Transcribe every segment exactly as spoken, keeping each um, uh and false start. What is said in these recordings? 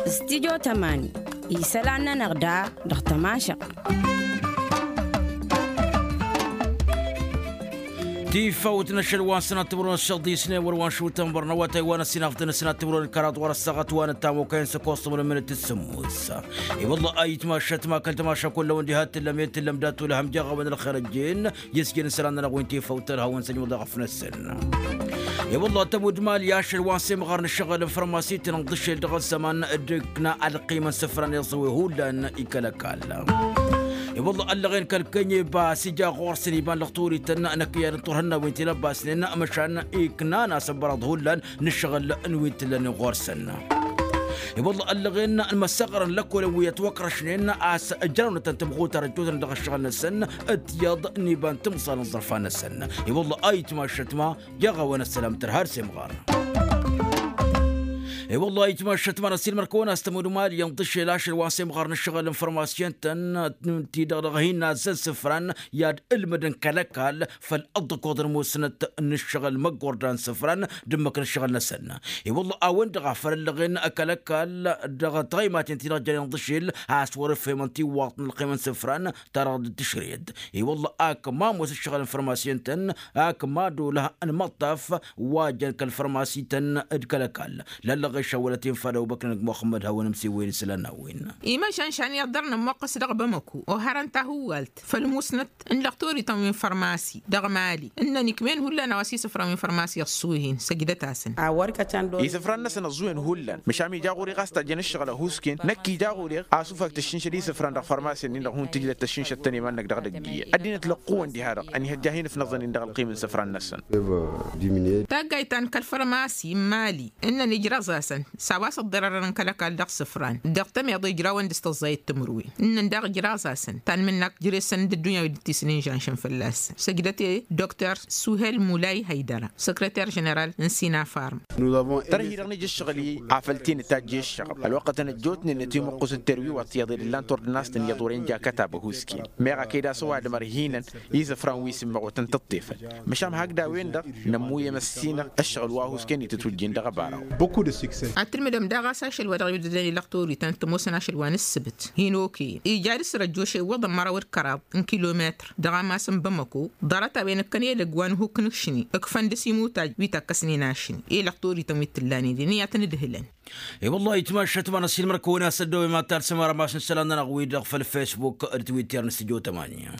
Stidyo tămani isălan-nănăɣ da dăɣ-tămašăɣt. Tifawt n-ašăl wa n-sănat timǝrwen s-iḍisnen wăr wa n-šutăn bărnăwătay wa n-ăssinafdăn s-sănat timǝrwen kăraḍ wăr-ăssaɣăt wa n-ăttamokăyăn s-ăkkoṣ timǝrwen minit s-sǝmmos. I-wălla a itmašăt ma kăl-tămaša kullăwăn diha t-tǝllăm i-tǝllăm dat-ulăhăm jaɣawăn ălxer ăjjeen. Isjăn isălan-nănăɣ wi n-tifawt tărhawăn s-ăjmăḍ i-ɣăf-năsăn. I-wălla tămud mali ašăl wa n-semɣar n-ǝššăɣǝl n-fărmasi-tăn ǝnḍǝšel dăɣ-ăzzăman d-ǝkna ălqim n-isǝfran iẓǝwe hullan ikăl-ăkall. I-wălla ăllăɣen kăl-kănyeba s-ija ɣur-săn iba n-lăɣturităn n-ăkk iyyăn n-turhǝnnawen ti n-ăbbasnen măšan iknan asăbbăraḍ hullan n-ǝššăɣǝl n-wi t-ǝllănen ɣur-săn. I-wălla ăllăɣen n-imăssăɣrăn lăkkolăn wi ătwăkrăšnen a-s ǝjrawnătăn tămɣutar ăjjootnen dăɣ-ǝššăɣǝl-năsăn d-tiyyăḍ n-iba n-timẓal n-iẓrǝfan-năsăn. I-wălla a itmašăt ma jaɣ-awăn ăssălam tărha d-semɣar. I-wălla a itmašăt ma n-ăssiilmăr-kăwăn a-s tămud mali ănḍǝšel ašăl wa n-semɣar n-ǝššăɣǝl n-fărmasiyăn-tăn ti-dăɣ dăɣ-hin azzăn isǝfran i-ad-ǝlmǝdăn kăl-ăkall făll-ăḍḍăkoḍ n-musnăt n-ǝššăɣǝl măggordan isǝfran d-ǝmmǝk n-ǝššăɣǝl-năsăn. I-wălla a-wen-dăɣ a făl ăllăɣen kăl-ăkall dăɣ-tăɣăymaten ti-dăɣ jănen ḍǝšel a-s wăr-ǝfhemăn tiwwaḍt n-ălqim n-isǝfran ta dăɣ-dd-tǝšred. I-wălla ak ma ămoos ǝššăɣǝl n-fărmasiyăn-tăn ak ma d-olăh n-imăṭṭaf wa jăn kăl-fărmasi-tăn d-kăl-ăkall. Lăllăɣ išăwălăt infa d-awbăknăn g-muxămmăd hawăn-ǝmsiwăyăn isălan n-a-wen. Imăšan šan iyyăḍ dăr-nǝmmuqqǝs dăɣ-bamăku oharăn tahǝwwalt făll-musnăt n-lăɣtorităn wi n-fărmasi dăɣ-mali ǝnnăn ikmen hullan a-wa s-isǝfran wi n-fărmasi ăṣṣuhen săjdăt-asăn. Isǝfran-năsăn ăẓẓuwen hullan măšan ija ɣur-i ɣas tajjăn ǝššăɣǝl ăhuusken năkk ija ɣur-i asufak tǝššǝnšăd isǝfran dăɣ-fărmasi-nin-dăɣ hun-tǝjlăt tăššǝnšăt-tăn iman-năk dăɣ-edăgg iyyăn ăddinăt lăqqǝwăn diha-dăɣ ănihăjja hin-ǝfnăẓăn-in dăɣ-ălqim n-isǝfran-năsăn. Taggayt ta n-kăl-fărmasi n-mali ǝnnăn ijraẓ-asăn s-a-wa s-ǝḍḍărărăn kăl-ăkall dăɣ-isǝfran dăɣ-tămiḍe ijrawăn dăɣ-s tăẓẓayăt timǝrwen ǝnnăn daɣ ijraẓ-asăn tanmǝnnak jere-săn d-ăddunya wi dd-tisǝnǝnžanšăn fălla-săn săjdăt-e doktor suhel mulay haydăra săkrăter ženeral n-sinafarm. Tărhi-dăɣ nǝja ǝššăɣǝl-i afăl t-inǝtajj i-ǝššăɣǝl ălwăqqătăn ăjjootnen ătimuqqǝs d-terwiwăt iyyăḍ ed ǝllan tordănast-tăn iyyăḍ wăren ja kătab ăhuusken meɣ a kăy-dd-asăwadǝm ărhinăn isǝfran wi s-immăɣwătăn tǝṭṭefăn. Măšan hakd a-wen-dăɣ nămmuyyăm ăssinăɣ ǝššăɣǝl wa ăhuusken itǝtwǝjjin dăɣ-ăbaraw. Ad-tǝlmǝdăm daɣ a-s ašăl wa dăɣ-iwǝddădăn i-lăqtorităn t-ămoosăn ašăl wa n-ǝssǝbǝt hin-okăyăn ija ad-ǝssărăjjoš iwwăḍăn măraw d-kăraḍ n-kilometăr dăɣ-amas n-bamăko. Ḍarăt-a-wen ǝkkăn edăgg wa n-ehuk n-ašni ǝkfăn dăr-s imutaj wi takkăsnen ašni i-lăqtorităn wi t-ǝllanen den i-ad-tăn-ǝdhǝlăn. E-wăllah itmašăt ma n-ăssiilmăr-kăwăn a-s ăddooben ma t-ad-sǝmărăm a-s n-isălan-nănăɣ-wi-dăɣ făll-facebook d-twitter n-studio tămani.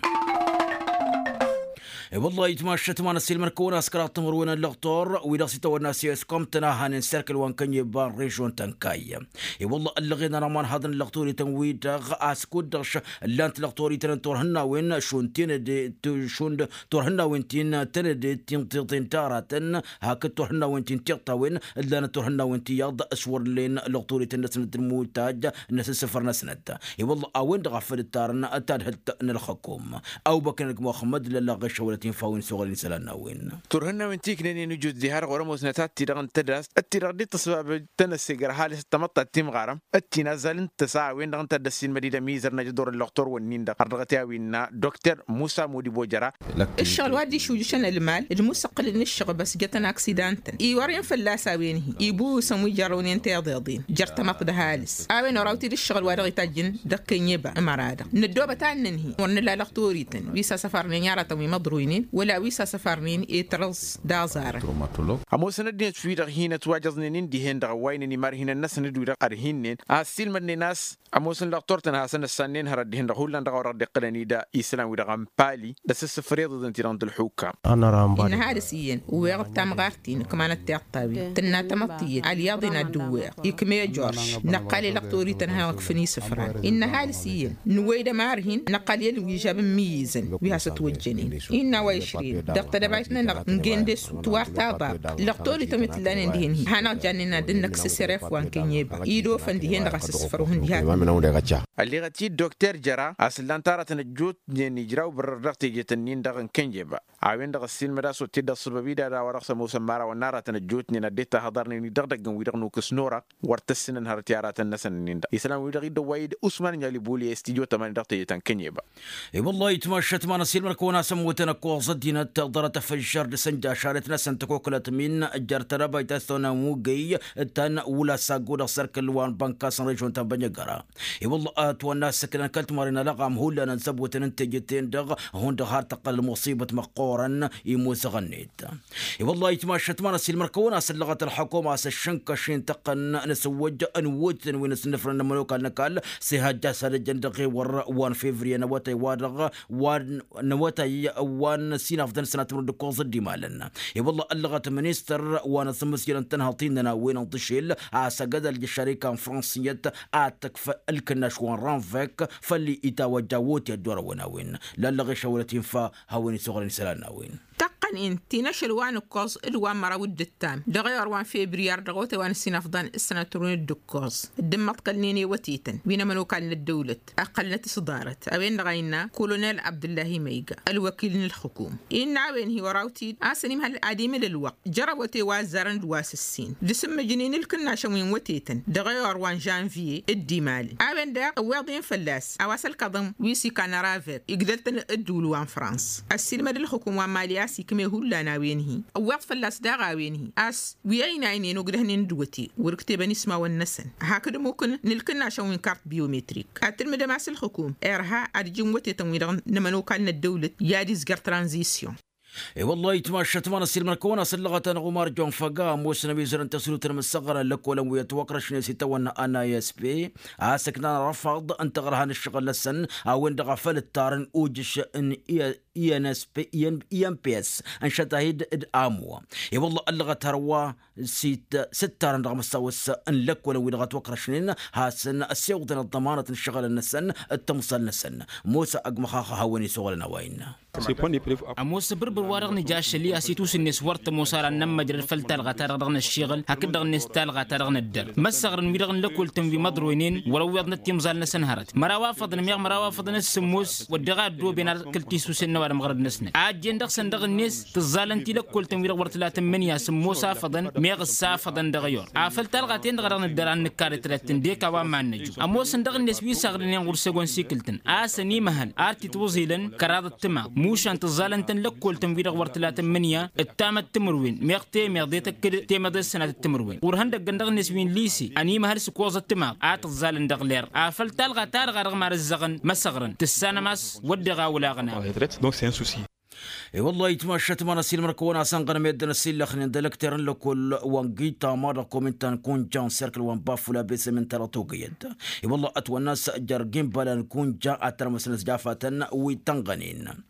E-wăllah itmašăt ma n-ăssiilmăr-kăwăn a-s kăraḍ timǝrwen n-lăqtor wi-dăɣ s-itawănna s-eskom-tăn a hanen serkǝl wa n-kănyeba n-režon ta n-kayy. E-wăllah ăllăɣen-anăɣ ma n-haḍăn lăqtorităn-wi-dăɣ a-s kud-dăɣ š-ǝllan-t lăqtorităn n-turhǝnnawen šund tinăde šund turhǝnnawen ti n-tănădet ti n-tiṭṭen taratăn hakd turhǝnnawen ti n-tiṭṭawen ǝllanăt turhǝnnawen ti iyyăḍ s-wăr ǝllen lăqtorităn-năsnăt d-mutaj n-asǝssǝfăr-năsnăt. I-wălla a-wen-dăɣ a făl ǝttarăn tadhǝlt n-ălxăkom. Awbăknăn g-muxămmăd lăllaɣ ɣešăwălăt infa a-wen s-oɣălăn isălan n-a-wen. Turhǝnnawen ti ǝknănen ǝjut diha-dăɣ wăr-ămoosnăt ad-t-dăɣ ǝntăd a-s ătti-dăɣ dd-tăsbabăj tănăssegrăh ăhalǝs d-tamăḍt ta timɣarăm ătti n-azzal n-tăsa a-wen-dăɣ ǝnta a dd-ăssiilmăd-dd ămizăr n-ajăḍur n-lăqtor wănnin-dăɣ har dăɣ-t i-a-wi innă dr musa modibo jăra. Ǝššăɣǝl wa dd-išujǝšăn ălmal d-musăqqǝlăn ǝššăɣb a-s jătăn aksidan-tăn iwărăn fălla-s a-wen-hi ibuwǝsăn wi jărrăwnen tiḍeḍen jer-tamăḍt d-ăhalǝs. A-wen oraw-t-dd ǝššăɣǝl wa dăɣ-itajjăn dăɣ-kănyeba ămăra-dăɣ năddoobăt a ǝnnăn-hi wăr nǝla lăqtor-ităn wi s-asăfarnen i-aratăn wi măḍruynen wăla wi s-asăfarnen i-tărǝẓ d-aẓarăn. Ămoosăn ăddinăt wi-dăɣ hin-ătwajăẓnen-in dihen-dăɣ ăwwaynen imarhinăn-năsăn d-wi-dăɣ ărhinnen a ăssiilmădnen a-s ămoosăn lăqtor-tăn a hasăn-ăssannen hărăt dihen-dăɣ hullan dăɣ-a-wa dăɣ-dd-iqqǝlăn-dd isălan-wi-dăɣ ănpali d-asǝssǝffer iḍeḍen-ti-dăɣ n-tălxukam. Innă ăhalǝs iyyăn ǝwweɣ d-tamɣart-in ǝkmanăt tiṭṭawen tǝnna tamăḍt iyyăn alyaḍ-in ad-dd-ǝwweɣ ikm'-e jorš năqqal i-lăqtor-ităn a hanăɣ-ǝkfǝn isǝfran. Innă ăhalǝs iyyăn nǝwwăy-dd ămar-hin năqqal i-ălwižab n-imǝyyǝzăn wi hasăt-wăjjănen. Innă a-wa išrǝyăn dăɣ-tedăbayt-nănăɣ n-gendesu tiwar taḍabt lăqtor-ităn wi t-ǝllanen dihen-hi hanăɣ-jannen ad-dd-năkk s-asăref wa n-kănyeba idofăn dihen-dăɣ asǝssǝfăr-uhǝn diha. Ălleɣăt-dd dokter jăra a-s ǝllan-t aratăn ăjjootnen ijraw bărrăr dăɣ-tejet-ǝnnin-dăɣ n-kănyeba. A-wen-dăɣ ăssiilmăd a-s otted d-ăṣṣăbăb-i d-ad-a-wa dăɣ-s ămoosăn imărawăn n-aratăn ăjjootnen ad-dd-tahǝḍarnen-dd dăɣ-idăggăn wi-dăɣ n-okǝs n-orăɣ wăr tăssinăn hărăt i-aratăn-năsăn-ǝnnin-dăɣ isălan-wi-dăɣ dd-ăwway-dd usman n-alibuli i-studyo tămani dăɣ-tejet ta n-kănyeba. I-wăllah itmašăt ma n-ăssiilmăr-kăwăn a-s ămmutăn. Koẓăt dinăt ḍarăt afăjjar dăr-săn jašaret n-asăn tăkokălăt min jer-tărabayt a-s tăwănna mugăy tăn-wăla saggo dăɣ-sărkăl wa n-bănkas n-režon ta n-bănjăgăra. I-wălla ătwănna s-săknăn kăl-timarăn alăɣam hullan n-săbotăn n-tejăten-dăɣ hundăɣ har tăqqăl ălmuṣibăt măqqoorăn imuzăɣ-net. I-wălla itmašăt ma n-ăsilmăr-kăwăn a-s ăllăɣăt ălxukum a-s ăššǝnkăš-in tăqqăn n-asǝwwăj n-wutǝtăn wi n-asǝnnǝfrăn n-ămănokal n-ăkall s-ihăjja s-ad-ăjjăn dăɣ-ewăr wa n-fevriye n-awătay-wa-dăɣ wa n-awătay wa n-sinafḍăn s-ănatmăr d-ǝkkoẓ dd-imalăn. I-wălla ăllăɣăt ministăr wa n-asǝmmǝsjălăn tănhăḍt-in-nănăwen n-iḍǝšel a-s ăgg-ădal ija šarika n-fransiyyăt ad-tǝkf ǝlkǝnnaš wa n-ranvek făll-itawăjja wotǝy ăddoorăwăn a-wen. Lallăɣ išăwălăt infa hawăn-isuɣǝlăn isălan n-a-wen. Tăqqăn-in ti n-ašăl wa n-ǝkkoẓ d-wa n-măraw d-ǝttam dăɣ-ewăr wa n-febriyar dăɣ-otay wa n-ăssinafḍan s-sănatărun d-ǝkkoẓ dd-ǝmmăḍkălnen i-wătetăn wi n-ămănokal n-ăddăwlăt ăqqălnăt s-ḍarăt a-wen-dăɣ a innă kolonel abdǝllahi măyga ălwăkil n-ǝlxǝkum. Innă a-wen hi-wăr-awtid a-s ănimhăl ad-imǝl ǝlwăqq jăr-awătay wa ăzzarăn d-wa s-ǝssin d-asǝmmǝjnen ǝlkǝnnašăn wi n-wătetăn dăɣ-ewăr wa n-žănviye. D-imalăn a-wen daɣ ǝwweḍ-in fălla-s a-wa s-ălkaḍăn wi s-ikan ravek igdăl-tăn ăddul wa n-frans ăssiilmăd ǝlxǝkum wa n-mali a-s ikme hullan a-wen-hi. Ǝwweḍ fălla-s daɣ a-wen-hi a-s wi ăynaynen ogdăhnen d-wăte wăr-ǝktebăn ismawăn-năsăn hakd ămmuk n-ǝlkǝnnašăn wi n-kart biometrik. Ad-tǝlmǝdăm a-s ǝlxǝkum irha ad-ǝjǝn wătetăn-wi-dăɣ n-ămănokal n-ăddăwlăt i-ad-izjăr tranzisyon. I-wăllah itmašăt ma n-ăssiilmăr-kăwăn a-s ăllăɣăt-anăɣ umar jonfăga ămoosăn ămizărăn tăsrut n-imǝssăɣrăn lăkkolăn wi ătwăkrăšnen s-itawănna anayăspe a-s ǝknan răfăḍ n-taɣrăha n-ǝššăɣǝl-năsăn a-wen-dăɣ a făl ǝttarăn ujǝš n-i n p s n-šătahid d-amu. I-wălla ăllăɣăt hărwa s-ittarăn dăɣ-măsawăs n-lăkkolăn wi-dăɣ ătwăkrăšnen hasăn-ăssewăḍăn ăḍḍămanăt n-ǝššăɣǝlăn-năsăn d-timẓal-năsăn. Musa ăgg măxaxa hawăn-isuɣǝlăn a-wa innă. Ămoos abǝrbǝr wa dăɣ-nǝja ašăl-i a-s itusǝnnes wăr tămoos ara n-inămmăjrăd făll-talɣa-ta-dăɣ dăɣ-năššiɣǝl hakd-dăɣ-net talɣa-ta-dăɣ năddăr măssăɣrăn wi-dăɣ n-lăkol-tăn wi măḍroynen wăr-ăwweḍnăt timẓal-năsăn hărăt măraw afăḍăn meɣ măraw afăḍăn d-sǝmmos wădden a ăddooben ad-kăl-tisusen n-ăwadǝm ɣărăd-năsnăt a ăjjeen dăɣ-săn dăɣ-net tǝẓẓalăn-t i-lăkkol-tăn wi-dăɣ wăr tǝla tǝmmǝnǝya sǝmmos afăḍăn meɣ ǝssa afăḍăn dăɣ-i-or afăl talɣa-ten-dăɣ a dăɣ-nǝddăr ad-nǝkka d-tălat-tǝn d-eka wa n-iman n-ăju ămoosăn dăɣ-net wi saɣdănen ɣur-săgon sikǝl-tăn a-s ănimăhăl ar t-itwǝẓilăn kăraḍăt timaḍ mušan tǝẓẓalăn-tăn lăkkol-tăn wi-dăɣ wăr tǝla tǝmmǝnǝya d-tamătt timǝrwen meɣ temeḍe tăkk-dd temeḍe d-sănatăt timǝrwen ɣur-ihăndăggăn dăɣ-net wi n-lise ănimăhăl s-ǝkoẓăt timaḍ a tǝẓẓalăn dăɣ-ler afăl talɣa-ta-dăɣ a dăɣ-imarǝzzăɣăn măsăɣrăn tǝssanăm a-s wădden a wălaɣăn a-wen. I-wăllah itmašăt ma n-ăsilmăr-kăwăn a-s ănɣănăm i-dd-năsillăxnen d-elăkter n-lăkol wa n-gitama dăɣ-kominta n-kunja n-serkǝl wa n-bafula besămen ta dăɣ-togăyăt. I-wăllah ătwănna a-s jer-gimbalăn kunja ad-tărmăsnăt jafatăn wi tănɣănen.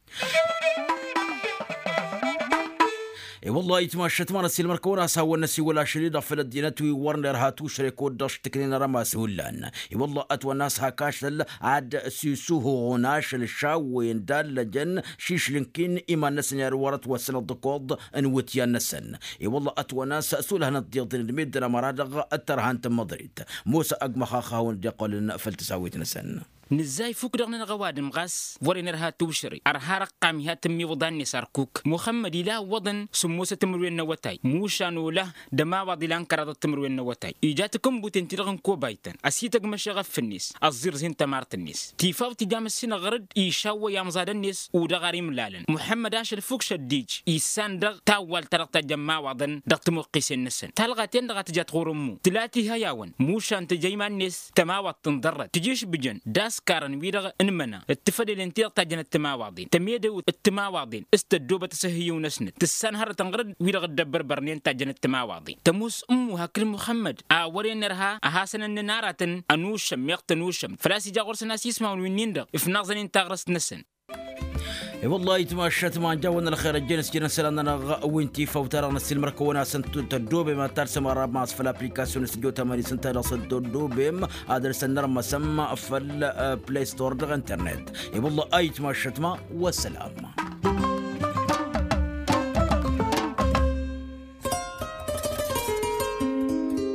I-wăllah itmašăt ma n-ăsilmăr-kăwăn a-s hawăn-năsiwăl ašăl-i-dăɣ făll-ăddinăt wi wăr nerha tušrek kud-dăɣ š-tǝknen arămas hullan. I-wăllah ătwănna a-s hak ašăl ad-sisuhuɣun ašăl šawwen d-allăjăn šišlǝnkin iman-năsăn i-ad-wăr-ătwăsnăt d-ǝkoḍ n-iwǝtyan-năsăn. I-wăllah ătwănna a-s sulăhnăt d-iḍǝn d-meddǝn ămăra-dăɣ d-tărha n-tămmăḍrit. Musa ăgg măxax a hawăn-dd-iqqălăn făll-tăsawit-năsăn. Nǝzzay fukk-dăɣ-nănăɣ ăwadǝm ɣas wăren ărha tǝwšăre ărha răqqam iha tǝmmiwǝḍa-net ărkuk muxămmăd ila ǝwwăḍăn sǝmmosăt timǝrwen n-awătay mušan olăh d-ămawaḍ ilan kăraḍăt timǝrwen n-awătay ija takǝnbuten-ti-dăɣ n-kobaytăn ăsităgg măšeɣăf-net ăẓẓirẓin tămart-net tifaw tǝjam ăssinăɣrăd išawwăy amẓadăn-net udăɣ ar imlalăn muxămmăd ašăl fukk šăddij issan dăɣ-tawwalt-ta-dăɣ tajjăn imawaḍăn dăɣ-timoqqisen-năsăn talɣa-ten-dăɣ a tǝjat ɣur-ǝmmu tǝla tihăy-awăn mušan tǝja iman-net tămawaḍt tǝnḍărrăd tǝjišbǝjăn d-askarăn-wi-dăɣ n-imăna d-tifădelen-ti-dăɣ tajjănăt timawaḍen tămedăwt d-timawaḍen s-tăddoobăt asǝhhǝyyǝw-năsnăt tǝssan hărătăn ɣur-dd wi-dăɣ dd-ăbbărbărnen tajjănăt timawaḍen tămoos ǝmmu hakd muxămmăd a wăren ărha ăhasăn-ănnăn aratăn ănušăm meɣ tănušăm făl-a-s ija ɣur-săn a-s ismawăn wi-nin-dăɣ ifnaẓăn-in taɣrăst-năsăn. I-wăllah itmašăt ma n-jawăn ălxer ăjjeen s-jănăn isălan-nănăɣ wi n-tifawt-ta-dăɣ n-ăssiilmăr-kăwăn a-s ăntăddoobem ad-talsăm arrabmas făll-aplikasyon s-ăjjootăm ad-isǝnta dăɣ-s ăntăddoobem ad-dăr-s ănnărmăsăm făll-play store dăɣ-internet. I-wăllah a itmašăt ma wăssălam.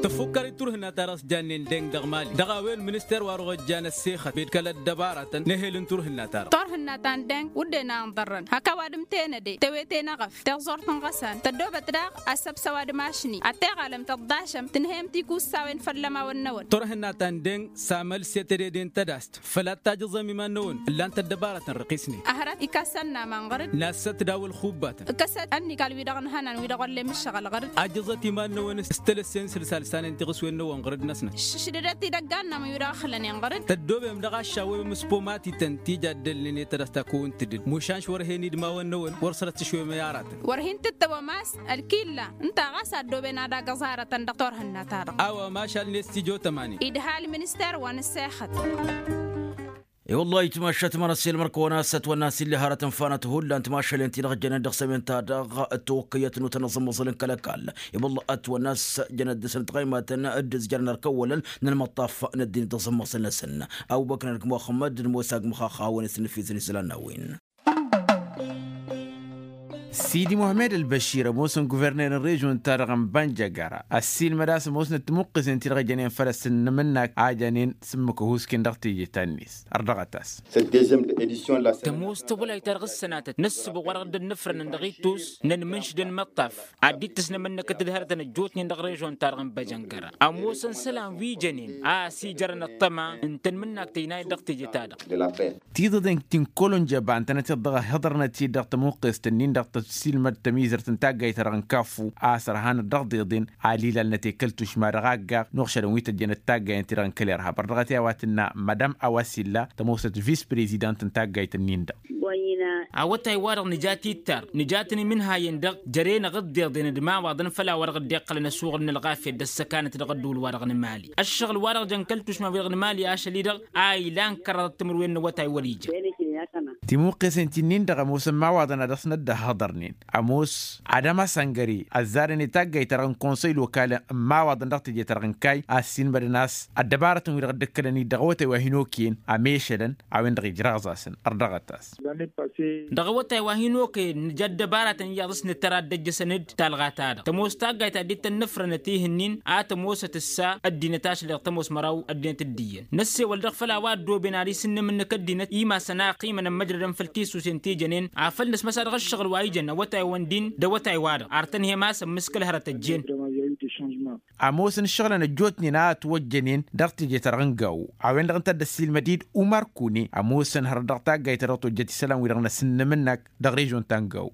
Tăfukkărit. turhǝnna-ta-dăɣ s-jannen deng dăɣ-mali dăɣ-a-wen minister wa dăɣ-ojjan ăssexăt bed kăl-ăddăbaratăn n-ehel n-turhǝnna-ta-dăɣ. Turhǝnna ta n-deng wǝdden a ǝnḍărrăn hak ăwadǝm tenăde tewete n-eɣăf tiẓẓurt n-iɣăsan tăddoobăt daɣ asăbs ăwadǝm ašni ad-teɣalăm tăḍḍašăm tǝnhăyăm tikussawen făll-ămawăn-năwăn. Turhǝnna ta n-deng s-amălset ededen tădast făl ad-tajǝẓăm iman-năwăn ǝllan-t ăddăbarătăn răqisnen. Hărăt ikasăn n-aman ɣăr-dd nassăt daw-ălxubbatăn ǝkkăsăt ănnikal wi-dăɣ n-hănan wi-dăɣ wăllen mǝššăɣăl ɣăr-dd. Ajǝẓăt iman-năwăn s-tălăssen sǝlsalsanen tiɣǝswen-năwăn ɣăr-dd-năsnăt. Ššǝdădăt idăggan n-amăn wi-dăɣ ăxlănen ɣăr-dd. Tăddoobem dăɣ-aššawem s-pomatităn ti jaddălnen i-tadăsta kăwăn-tǝdǝd mušan š-wăr hen-idmawăn-năwăn wăr sărăt s-išwemăy aratăn. Wăr hin-tǝttăwăm a-s ălkilla ǝnta ɣas addooben ad-agǝẓ aratăn dăɣ-turhǝnna-ta-dăɣ. A-wa mašal n-estijotămani idha ălminister wa n-ăssexăt. I-wălla-hi timašat ma n-ăssiilmăr-kăwăn a-s ătwănna n-silli hărăt ǝnfanăt hullan timašalen-ti-dăɣ jănen dăɣ-sămen-ta-dăɣ. Ătwăkkăyăt n-utănăẓămmăẓăl n-kăl-ăkall i-wălla ătwănna a-s jănăt dăɣ-săn tɣăymatăn d-ǝzjărăn ărkăwwălăn n-ălmăṭṭaf n-ăddin dăɣ-sămmăẓăl-năsăn. Ăbubăknăr g-muxămmăd d-musa g-măxaxa a-wen s-nǝfizăn isălan n-a-wen. Sidi muhămmed ălbăšir ămoosăn guverner n-režon-ta-dăɣ n-bănjăgăra ăssiilmăd a-s ămoosnăt timuqqesen-ti-dăɣ jănen făll-asǝnnǝm-năk a jănen s-ǝmmǝk ăhuusken dăɣ-teje ta-net. Ărdăɣăt-as. Tămoos tawălayt-ta-dăɣ s-sănatăt n-ǝssǝbăɣ wa dăɣ-dd-ănnăfrănăn dăɣ-ittus n-ănmǝnš d-ănmăṭṭaf ad-dd-tǝsnăm ǝnnăkăt d-hărătăn ăjjootnen dăɣ-režon-ta-dăɣ n-băjăngăra. Ămoosăn isălan wi jănen a ăsijărăn ăṭṭăma n-tanmǝnnakt ăynayăt dăɣ-teje-ta-dăɣ. Tiḍeḍen ti n-kăl-onjăba ǝntănăt-dd dăɣ-ăhhiḍărnăt-dd dăɣ-tămuqqest-nin-dăɣ tăssilmăd tămizărt n-taggayt-ta-dăɣ n-kaffu a-s ărhanăt dăɣ-deḍen. Alilalnăt i-kăl-tušma dăɣ-aggaɣ n-uɣšădăn wi tăjjănăt taggayen-ti-dăɣ n-kăl-irhab ărdăɣăt i-a-wa tǝnna madam awasilla tămoosăt vis-prezidant n-taggayt-nin-dăɣ. Awătay-wa-dăɣ nǝja tittar nǝja-tăn imǝnhayen-dăɣ jăr-enăɣ ǝḍḍeḍen d-imawaḍăn făll-a-wa-dăɣ dd-iqqălăn ăsuɣǝl n-ălɣafyăt d-ăssăkanăt dăɣ-ădduul-wa-dăɣ n-mali. Ăššăɣǝl-wa-dăɣ jăn kăl-tušma-wi-dăɣ n-mali ašăl-i-dăɣ a ilan kăraḍăt timǝrwen n-awătay wăr-ija. Timuqqesen ti-nin-dăɣ ămoosăn imawaḍăn ad-dăɣ-snăt dd-ăhhăḍărnen ămoos adămas ăngăre ăzzarăn i-taggayt-ta-dăɣ n-konsăy lokal n-imawaḍăn dăɣ-teje-ta-dăɣ n-kayy a ăssiinmădăn a-s ăddăbarătăn-wi-dăɣ dd-ǝkkălăn-dd dăɣ-awătay wa hin-okăyăn ămešălăn a-wen-dăɣ ijrăɣẓasăn. Ărdăɣăt-as. Dăɣ-awătay wa hin-okăyăn nǝja ăddăbaratăn iyyăḍ s-nǝttăr ad-dd-ăjjăsăn d-talɣa-ta-dăɣ tămoos taggayt ta dd-tănnăfrănăt ihǝnnin a tămoosăt ǝssa ăddinăt ašăl-i-dăɣ tămoos măraw ăddinăt d-iyyăn năssewăl dăɣ-făll-a-wa ăddooben ad-isǝnnǝm ǝnnǝk ăddinăt imasăn a ăqqimănăn măjrădăn făll-tisusen ti jănen afăl nǝsmăsa dăɣ-ǝššăɣǝl wa ijăn awătay wa n-din d-awătay-wa-dăɣ ar tănhăyăm a-s ămmǝskǝl hărăt ăjjeen. Ămoosăn ǝššăɣǝlăn ăjjootnen a ătwăjjănen dăɣ-teje-ta-dăɣ n-gawo a-wen-dăɣ ǝnta a dd-ăssiilmăd-dd umar kune ămoosăn hărăt dăɣ-taggayt-ta-dăɣ tojjăt isălan-wi-dăɣ n-asǝnnǝm-năk dăɣ-režon ta n-gawo.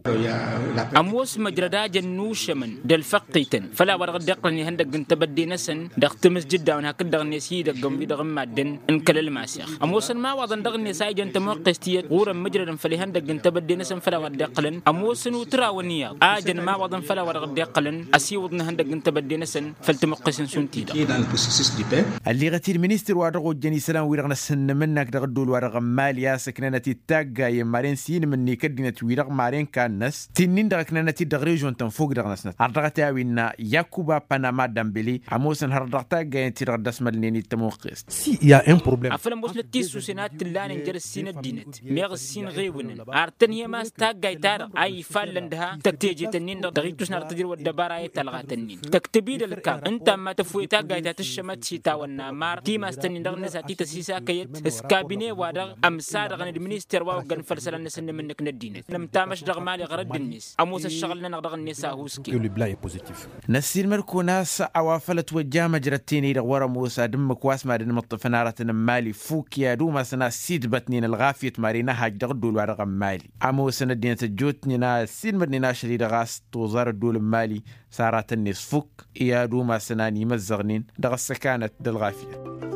Ămoos măjrăd a jăn nušămăn d-ălfăqqităn făll-a-wa dăɣ-dd-iqqălăn ihăndăgg n-tebădde-năsăn dăɣ-timǝsjǝd-dawăn hakd-dăɣ-net i-idăgg n-wi-dăɣ n-maddǝn n-kăl-ălmaseɣ. Ămoosăn imawaḍăn dăɣ-net a ijăn tămoqqest tiyyăt ɣur-ămmǝjrădăn făll-ihăndăgg n-tebădde-năsăn făll-a-wa dd-iqqălăn ămoosăn utraw ănniyaḍ a jăn imawaḍăn făll-a-wa dăɣ-dd-iqqălăn ăsiwǝḍ n-ihăndăgg n-tebădde-năsăn făll-tămuqqesen šund-ti-dăɣ. Ălliɣăt-dd ministăr wa dăɣ-ojjăn isălan-wi-dăɣ n-asǝnnǝm-năk dăɣ-ădduul-wa-dăɣ n-mali a-s ǝknănăt-dd taggayen maren s-inǝm-net i-kăddinăt-wi-dăɣ maren kannăs ti-nin-dăɣ ǝknănăt-dd dăɣ-režon-tăn fokk dăɣ-năsnăt ardăɣăt i-a-wi innă yakuba panama dambele. Ămoosăn hărăt dăɣ-taggayen-ti-dăɣ dd-ăsmălnen i-tămuqqest. Afăl ămoosnăt tisusen a t-ǝllanen jer-ǝssin ăddinăt meɣ ǝssin ɣewǝnăn ar tănhăyăm a-s taggayt-ta-dăɣ a ifallăn d-ha tăktejet-ǝnnin-dăɣ dăɣ-ittus n-ad-tǝjrǝw ăddăbara i-talɣat-ǝnnin tăktăb-dd ălkam ǝnta amma tăfwet taggayt ta tǝššămăt s-itawănna mar timass-tăn-in dăɣ-net a t-tăsisakăyăt s-kabine-wa-dăɣ ămsadăɣăn d-minister wa oggăn făll-isălan n-asǝnnǝm-năk n-ăddinăt nǝmtamăš dăɣ-mali ɣărădd-net ămoos ăššăɣǝl-nănăɣ dăɣ-net a ăhuusken. Năssiilmăd-kăwăn a-s a-wa făl ătwăjja măjrăt-ten-i-dăɣ wăr-ămoos ad-ǝmmǝk wa s-mad-ănmăṭṭăfăn aratăn n-mali fuk i-ad-umasăn a ăssiidbătnen ălɣafyăt mad-inhaj dăɣ-ădduul-wa-dăɣ n-mali. Ămoosăn ăddinăt ăjjootnen a ăssiilmădnen ašăl-i-dăɣ a-s toẓar ădduul n-mali s-aratăn-net fuk i-ad-umasăn a n-imăzzăɣnen dăɣ-ăssăkanăt d-ălɣafyăt.